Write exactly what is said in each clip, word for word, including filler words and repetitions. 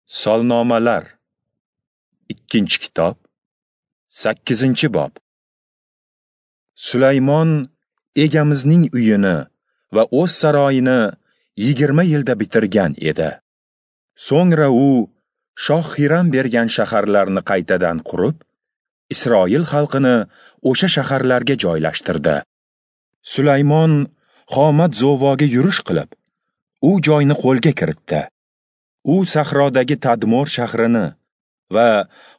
Solnomalar, ikkinchi kitob, sakkizinchi bob. Sulaymon egamizning uyini va o'z saroyini yigirma yilda bitirgan edi. So'ngra u shoh Xiram bergan shaharlarni qaytadan qurib, Isroil xalqini o'sha shaharlarga joylashtirdi. Sulaymon Xomat Zovoga yurish qilib, u joyni qo'lga kiritdi. U sahrodagi Tadmor shahrini va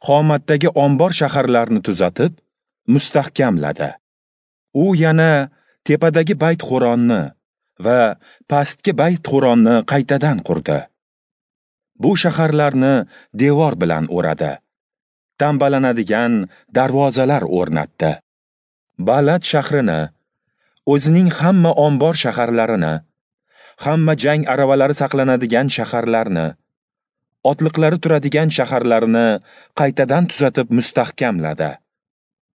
Xomatdagi ombor shaharlarni tuzatib, mustahkamladi. U yana tepadagi Bayt-Xo'ronni va pastki Bayt-Xo'ronni qaytadan qurdi. Bu shaharlarni devor bilan o'radi. Tambalanadigan darvozalar o'rnatdi. Balat shahrini, o'zining hamma ombor shaharlarini, hamma jang aravalari saqlanadigan shaharlarni, otliqlari turadigan shaharlarni qaytadan tuzatib mustahkamladi.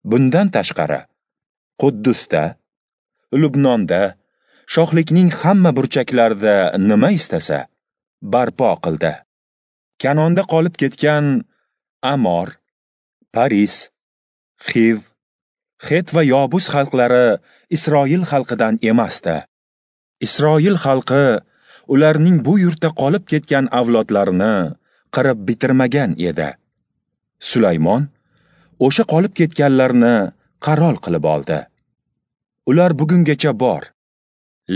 Bundan tashqari, Quddusda, Lubnonda, shohlikning hamma burchaklarida nima istasa, barpo qildi. Kanonda qolib ketgan Amor, Paris, Xiv, Het va Yobus xalqlari Isroil xalqidan emasdi. Isroil xalqi ularning bu yurtda qolib ketgan avlodlarini qirib bitirmagan edi. Sulaymon o'sha qolib ketganlarni qarol qilib oldi. Ular bugungacha bor.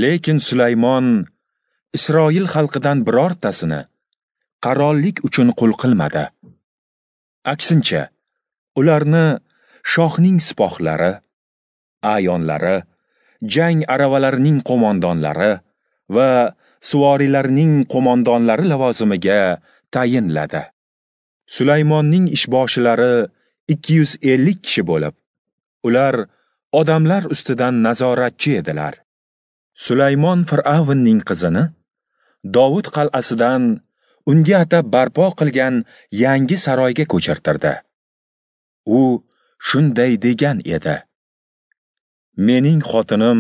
Lekin Sulaymon Isroil xalqidan birortasini qarollik uchun qul qilmadi. Aksincha, ularni shohning sipohlari, ayonlari, jang aravalarining qo'mondonlari va suvoriylarning qo'mondonlari lavozimiga tayinladi. Sulaymonning ishboshilari ikki yuz ellik kishi bo'lib, ular odamlar ustidan nazoratchi edilar. Sulaymon Fir'avnning qizini Dovud qal'asidan unga atab barpo qilgan yangi saroyga ko'chirtirdi. U shunday degan edi: Mening xotinim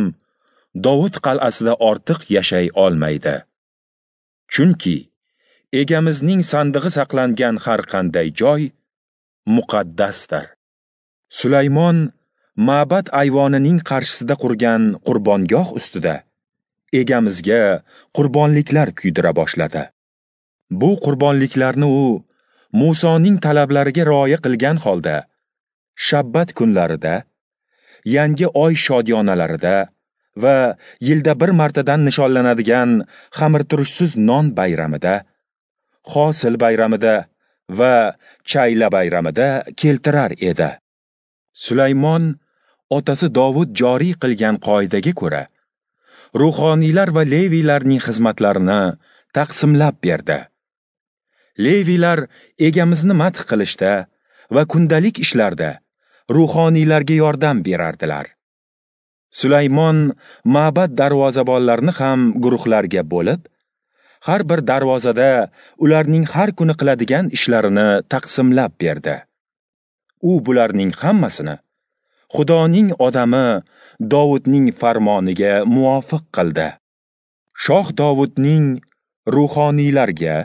Dovud qal'asida ortiq yashay olmaydi. Chunki egamizning sandig'i saqlangan har qanday joy muqaddasdir. Sulaymon ma'bad ayvonining qarshisida qurgan qurbongoh ustida egamizga qurbonliklar kuydira boshladi. Bu qurbonliklarni u Musoning talablariga rioya qilgan holda shabbat kunlarida, yangi oy shodiyonalarida va yilda bir martadan nishonlanadigan xamirturushsiz non bayramida, hosil bayramida va chayla bayramida keltirar edi. Sulaymon otasi Dovud joriy qilgan qoidaga ko'ra, ruhoniylar va leviylarning xizmatlarini taqsimlab berdi. Leviylar egamizni madh qilishda va kundalik ishlarda ruhoniylarga yordam berardilar. Sulaymon ma'bad darvozabonlarini ham guruhlarga bo'lib, har bir darvozada ularning har kuni qiladigan ishlarini taqsimlab berdi. U bularning hammasini Xudoning odami Dovudning farmoniga muvofiq qildi. Shoh Dovudning ruhoniylarga,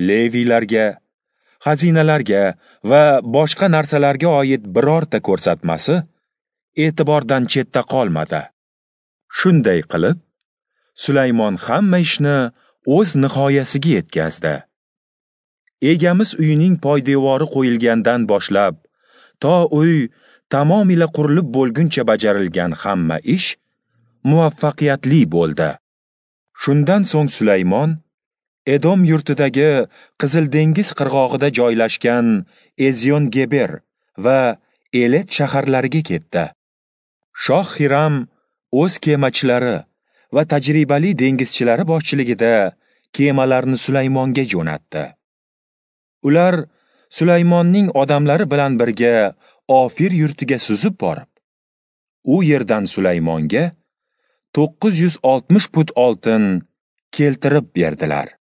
leviylarga, xazinalarga va boshqa narsalarga oid birorta ko'rsatmasi e'tibordan chetda qolmadi. Shunday qilib, Sulaymon hamma ishni o'z nihoyasiga yetkazdi. Egamiz uyining poydevori qo'yilgandan boshlab to uy tamomila qurilib bo'lguncha bajarilgan hamma ish muvaffaqiyatli bo'ldi. Shundan so'ng Sulaymon Edom yurtidagi Qizil dengiz qirg'og'ida joylashgan Ezion-Geber va Elet shaharlariga ketdi. Shoh Xiram o'z kemachilari va tajribali dengizchilari boshchiligida kemalarni Sulaymonga jo'natdi. Ular Sulaymonning odamlari bilan birga Ofir yurtiga suzib borib, u yerdan Sulaymonga to'qqiz yuz oltmish put oltin keltirib berdilar.